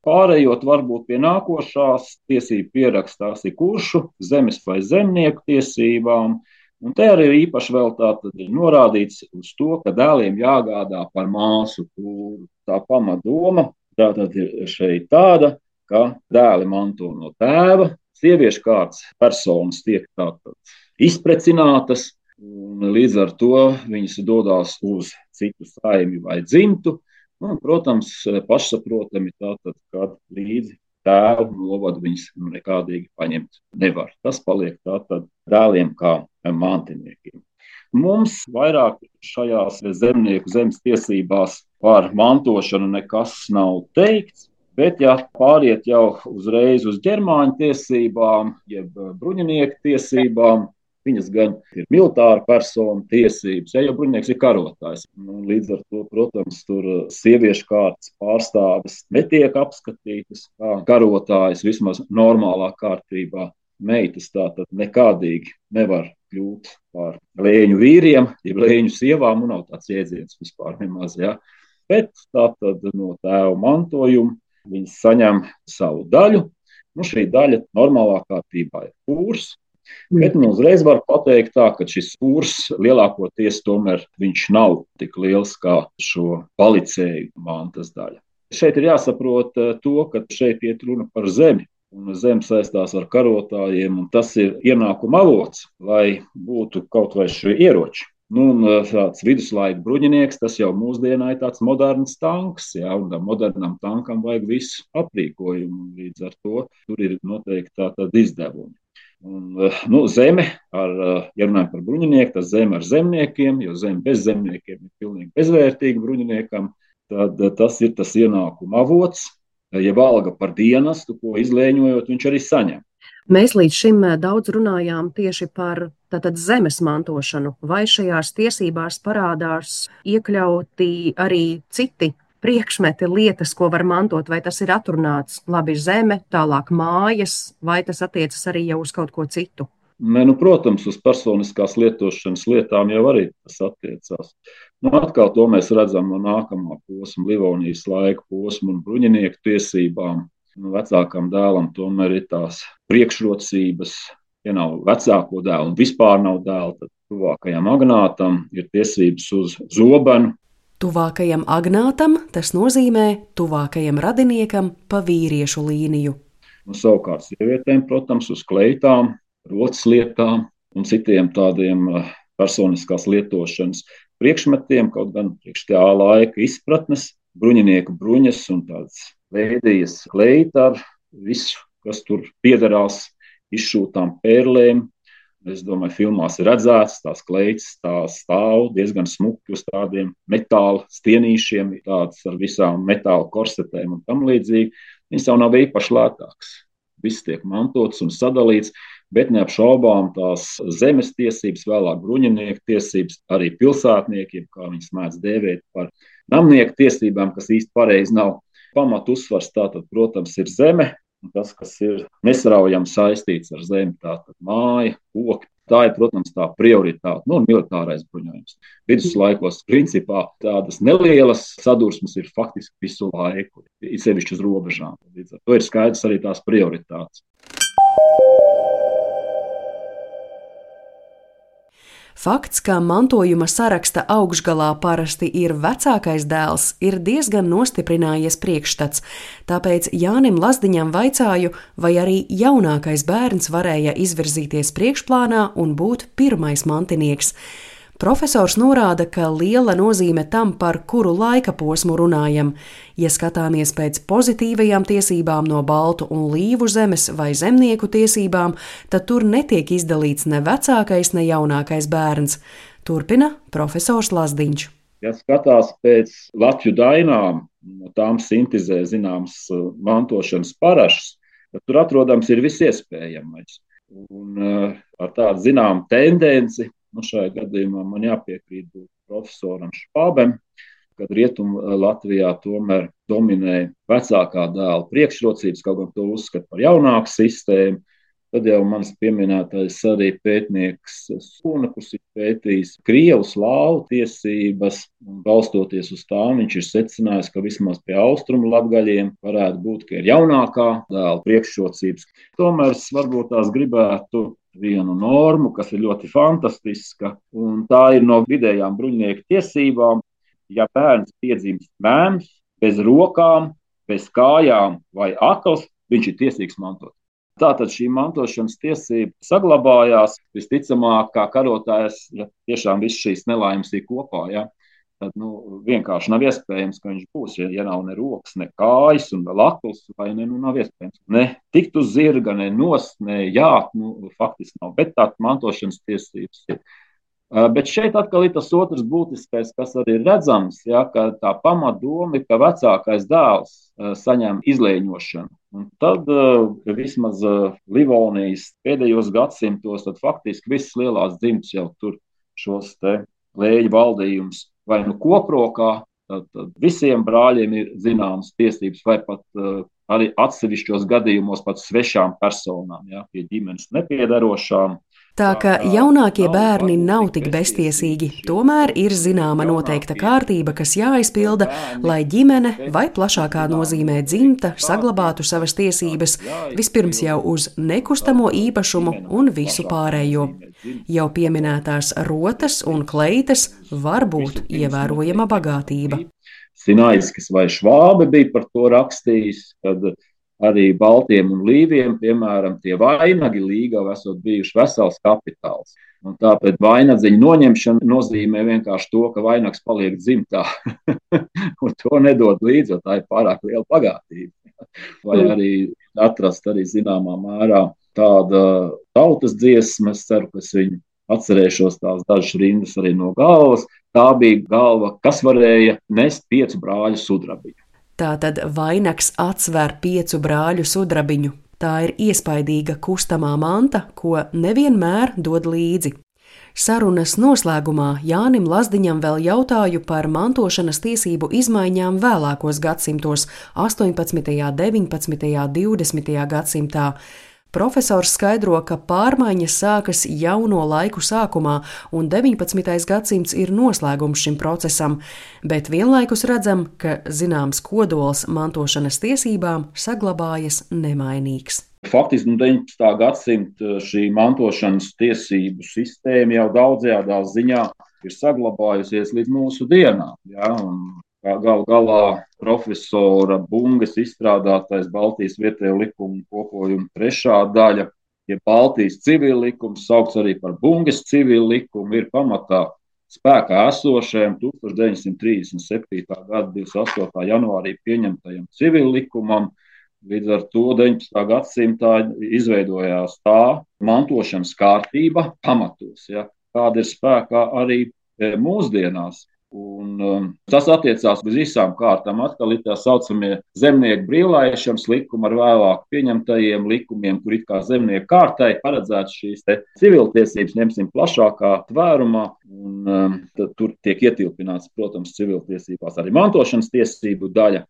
pārējot varbūt pie nākošās tiesību pierakstās ir kuršu, zemes vai zemnieku tiesībām. Un te arī īpaši vēl tātad ir norādīts uz to, ka dēliem jāgādā par māsu kūru. Tā pamatdoma tātad ir šeit tāda, ka dēli manto no tēva, sieviešu kārtas personas tiek tātad izprecinātas. Un līdz ar to viņas dodās uz citu saimi vai dzimtu. Un, protams, pašsaprotami tātad, kad līdzi tēvu novadu viņas nekādīgi paņemt nevar. Tas paliek tātad dēliem kā mantiniekiem. Mums vairāk šajās zemnieku zemes tiesībās par mantošanu nekas nav teikts, bet ja pāriet jau uzreiz uz ģermāņu tiesībām, jeb bruņinieku tiesībām, viņas gan ir militāra persona tiesības, ja jau bruņinieks ir karotājs. Līdz ar to, protams, tur sieviešu kārtas pārstāves netiek apskatītas kā karotājas vismaz normālā kārtībā. Meitas tātad nekādīgi nevar kļūt par lēņu vīriem, ja lēņu sievām, un nav tāds jēdziens vispār nemaz, ja. Bet tātad no tēva mantojuma viņas saņem savu daļu. Nu, šī daļa normālā kārtībā ir pūrs. Bet nu, uzreiz var pateikt tā, ka šis pūrs lielākoties tomēr viņš nav tik liels kā šo palicēju mantas daļa. Šeit ir jāsaprot to, ka šeit iet runa par zemi, un zeme saistās ar karotājiem, un tas ir ienākuma avots, lai būtu kaut vai šie ieroči. Nu, un tāds viduslaika bruņinieks, tas jau mūsdienā ir tāds moderns tanks, jā, un modernam tankam vajag visu aprīkojumu, līdz ar to tur ir noteikti tātad izdevumi. Un, nu, zeme, ar, ja runājam par bruņinieku, tas zeme ar zemniekiem, jo zeme bez zemniekiem ir pilnīgi bezvērtīga bruņiniekam, tad tas ir tas ienākuma avots, ja alga par dienestu, ko izlēņojot, viņš arī saņem. Mēs līdz šim daudz runājām tieši par tātad zemes mantošanu, vai šajās tiesībās parādās iekļauti arī citi priekšmeti, lietas, ko var mantot, vai tas ir atrunāts labi zeme, tālāk mājas, vai tas attiecas arī jau uz kaut ko citu? Ne, nu, protams, uz personiskās lietošanas lietām jau arī tas attiecās. Nu, atkal to mēs redzam no nākamā posma, Livonijas laika posma un bruņinieku tiesībām. Nu, vecākam dēlam tomēr ir tās priekšrocības, ja nav vecāko dēlu un vispār nav dēla, tad tuvākajam agnātam ir tiesības uz zobenu. Tuvākajam agnātam tas nozīmē tuvākajam radiniekam pa vīriešu līniju. Un savukārt sievietēm, protams, uz kleitām, rotas lietām, un citiem tādiem personiskās lietošanas priekšmetiem, kaut gan priekš tā laika izpratnes, bruņinieku bruņas un tādas vēdījas kleita ar visu, kas tur piederās izšūtām pērlēm. Es domāju, filmās ir redzēts, tās kleitas tā stāv diezgan smuki uz tādiem metāla stienīšiem, tāds ar visām metāla korsetēm un tam līdzīgi. Viņas jau nav īpaši lētāks. Viss tiek mantots un sadalīts, bet neapšaubām tās zemes tiesības, vēlāk bruņinieku tiesības, arī pilsētniekiem, kā viņas mēdz dēvēt par namnieku tiesībām, kas īsti pareizi nav. Pamat uzsvars tātad, protams, ir zeme. Tas, kas ir nesaraujami saistīts ar zemi, tātad māja, koki, tā ir, protams, tā prioritāte, nu, militārais bruņojums. Viduslaikos, principā, tādas nelielas sadursmes ir faktiski visu laiku, it sevišķi uz robežām. Līdz ar to ir skaidrs arī tās prioritātes. Fakts, ka mantojuma saraksta augšgalā parasti ir vecākais dēls, ir diezgan nostiprinājies priekšstats, tāpēc Jānim Lazdiņam vaicāju, vai arī jaunākais bērns varēja izvirzīties priekšplānā un būt pirmais mantinieks. Profesors norāda, ka liela nozīme tam, par kuru laika posmu runājam. Ja skatāmies pēc pozitīvajām tiesībām no baltu un līvu zemes vai zemnieku tiesībām, tad tur netiek izdalīts ne vecākais, ne jaunākais bērns. Turpina profesors Lazdiņš. Ja skatās pēc Latviju dainām, no tām sintizē zināms mantošanas parašas, tad tur atrodams ir visiespējamais. Un ar tādu zinām tendenci, nu, šajā gadījumā man jāpiekrīt profesoram Švābem, kad Rietumu Latvijā tomēr dominē vecākā dēla priekšrocības, kaut gan to uzskata par jaunāku sistēmu. Tad jau mans pieminētais arī pētnieks Sūna, kurš ir pētījis krievu slāvu tiesības, un balstoties uz tām viņš ir secinājis, ka vismaz pie austrumu latgaļiem varētu būt, ka ir jaunākā dēla priekšrocības. Tomēr es varbūt tās gribētu vienu normu, kas ir ļoti fantastiska, un tā ir no vidējām bruņinieku tiesībām. Ja bērns piedzimst mēms, bez rokām, bez kājām vai akls, viņš ir tiesīgs mantot. Tātad šī mantošanas tiesība saglabājās, visticamāk, kā karotājs, ja tiešām viss šīs nelaimes ir kopā, ja, tad nu, vienkārši nav iespējams, ka viņš būs, ja, ja nav ne rokas, ne kājas un vēl akls, vai ne, nu nav iespējams. Ne tikt uz zirga, ne nost, ne jāt, nu faktiski nav, bet tā mantošanas tiesības ir. Bet šeit atkal ir tas otrs būtiskais, kas arī ir redzams, ja, ka tā pamatdoma ir, ka vecākais dēls saņem izlēņošanu. Un tad vismaz Livonijas pēdējos gadsimtos, tad faktiski visas lielās dzimtas jau tur šos te lēļu valdījumus vai nu koprokā, tad, tad visiem brāļiem ir zināmas tiesības vai pat arī atsevišķos gadījumos pat svešām personām, ja, pie ģimenes nepiedarošām. Tā ka jaunākie bērni nav tik beztiesīgi, tomēr ir zināma noteikta kārtība, kas jāizpilda, lai ģimene vai plašākā nozīmē dzimta saglabātu savas tiesības, vispirms jau uz nekustamo īpašumu un visu pārējo. Jau pieminētās rotas un kleitas var būt ievērojama bagātība. Sinaiskis vai Švābe bija par to rakstījis, kad arī baltiem un līviem, piemēram, tie vainagi līgavi esot bijuši vesels kapitāls. Un tāpēc vainadziņa noņemšana nozīmē vienkārši to, ka vainags paliek dzimtā. Un to nedod līdzi, jo tā ir pārāk liela bagātība. Vai arī atrast arī zināmā mērā tāda tautas dziesma, es ceru, ka es viņu atcerēšos tās dažas rindas arī no galvas. Tā bija galva, kas varēja nest piecu brāļu sudrabiņu. Tātad vainags atsver piecu brāļu sudrabiņu. Tā ir iespaidīga kustamā manta, ko nevienmēr dod līdzi. Sarunas noslēgumā Jānim Lazdiņam vēl jautāju par mantošanas tiesību izmaiņām vēlākos gadsimtos – astoņpadsmitajā, deviņpadsmitajā, divdesmitajā gadsimtā. Profesors skaidro, ka pārmaiņas sākas jauno laiku sākumā, un deviņpadsmitais gadsimts ir noslēgums šim procesam, bet vienlaikus redzam, ka zināms kodols mantošanas tiesībām saglabājas nemainīgs. Faktiski no deviņpadsmitā gadsimta šī mantošanas tiesību sistēma jau daudzajā ziņā ir saglabājusies līdz mūsu dienām. Ja? Gal galā profesora Bungas izstrādātais Baltijas vietējo likumu kopojuma trešā daļa ja Baltijas civil likums, saukts arī par Bungas civil likumu, ir pamatā spēkā esošajam tūkstoš deviņsimt trīsdesmit septītā gada divdesmit astotā janvārī pieņemtajam civil likumam. Līdz ar to deviņpadsmitā gadsimtā izveidojās tā mantošanas kārtība pamatos, ja, kāda ir spēkā arī mūsdienās. Un, um, tas attiecās uz visām kārtām. Atkal ir tā saucamie zemnieku brīvlaišanas likumi ar vēlāk pieņemtajiem likumiem, kur it kā zemnieku kārtai paredzēts šīs te civiltiesības, ņemsim plašākā tvērumā, un um, tad tur tiek ietilpināts, protams, civiltiesībās arī mantošanas tiesību daļa.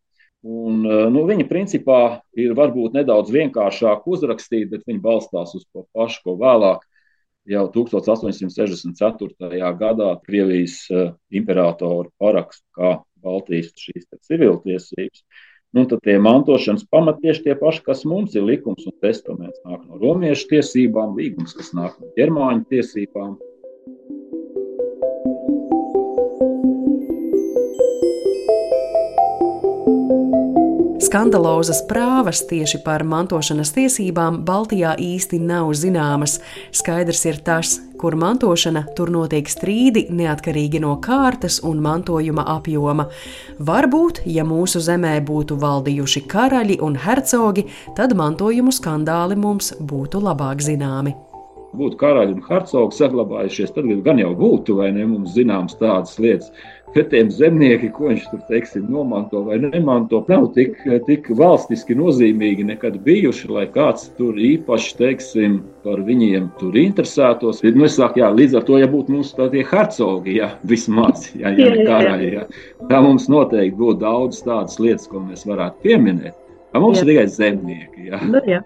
Un, nu, viņi principā ir varbūt nedaudz vienkāršāk uzrakstīt, bet viņi balstās uz to pašu, ko vēlāk jau tūkstoš astoņsimt sešdesmit ceturtajā gadā Krievijas uh, imperatoru parakstu kā Baltijas šīs civiltiesības. Nu, tad tie mantošanas pamati tieši tie paši, kas mums ir likums un testaments, nāk no romiešu tiesībām, līgums, kas nāk no ģermāņu tiesībām. Skandalozas prāvas tieši par mantošanas tiesībām Baltijā īsti nav zināmas. Skaidrs ir tas, kur mantošana, tur notiek strīdi neatkarīgi no kārtas un mantojuma apjoma. Varbūt, ja mūsu zemē būtu valdījuši karaļi un hercogi, tad mantojumu skandāli mums būtu labāk zināmi. Būtu karaļi un hercogi saglabājušies, tad gan jau būtu, vai ne, mums zināms tādas lietas. Bet tiem zemnieki, ko viņš tur, teiksim, nomanto vai nemanto, nav tik, tik valstiski nozīmīgi nekad bijuši, lai kāds tur īpaši, teiksim, par viņiem tur interesētos. Nu, es saku, jā, līdz ar to, ja būtu mums tie hercogi, jā, vismaz, jā, ja ne karaļi, jā, tā mums noteikti būtu daudz tādas lietas, ko mēs varētu pieminēt. Mums jā. Ir tikai zemnieki, jā. Nu, jā.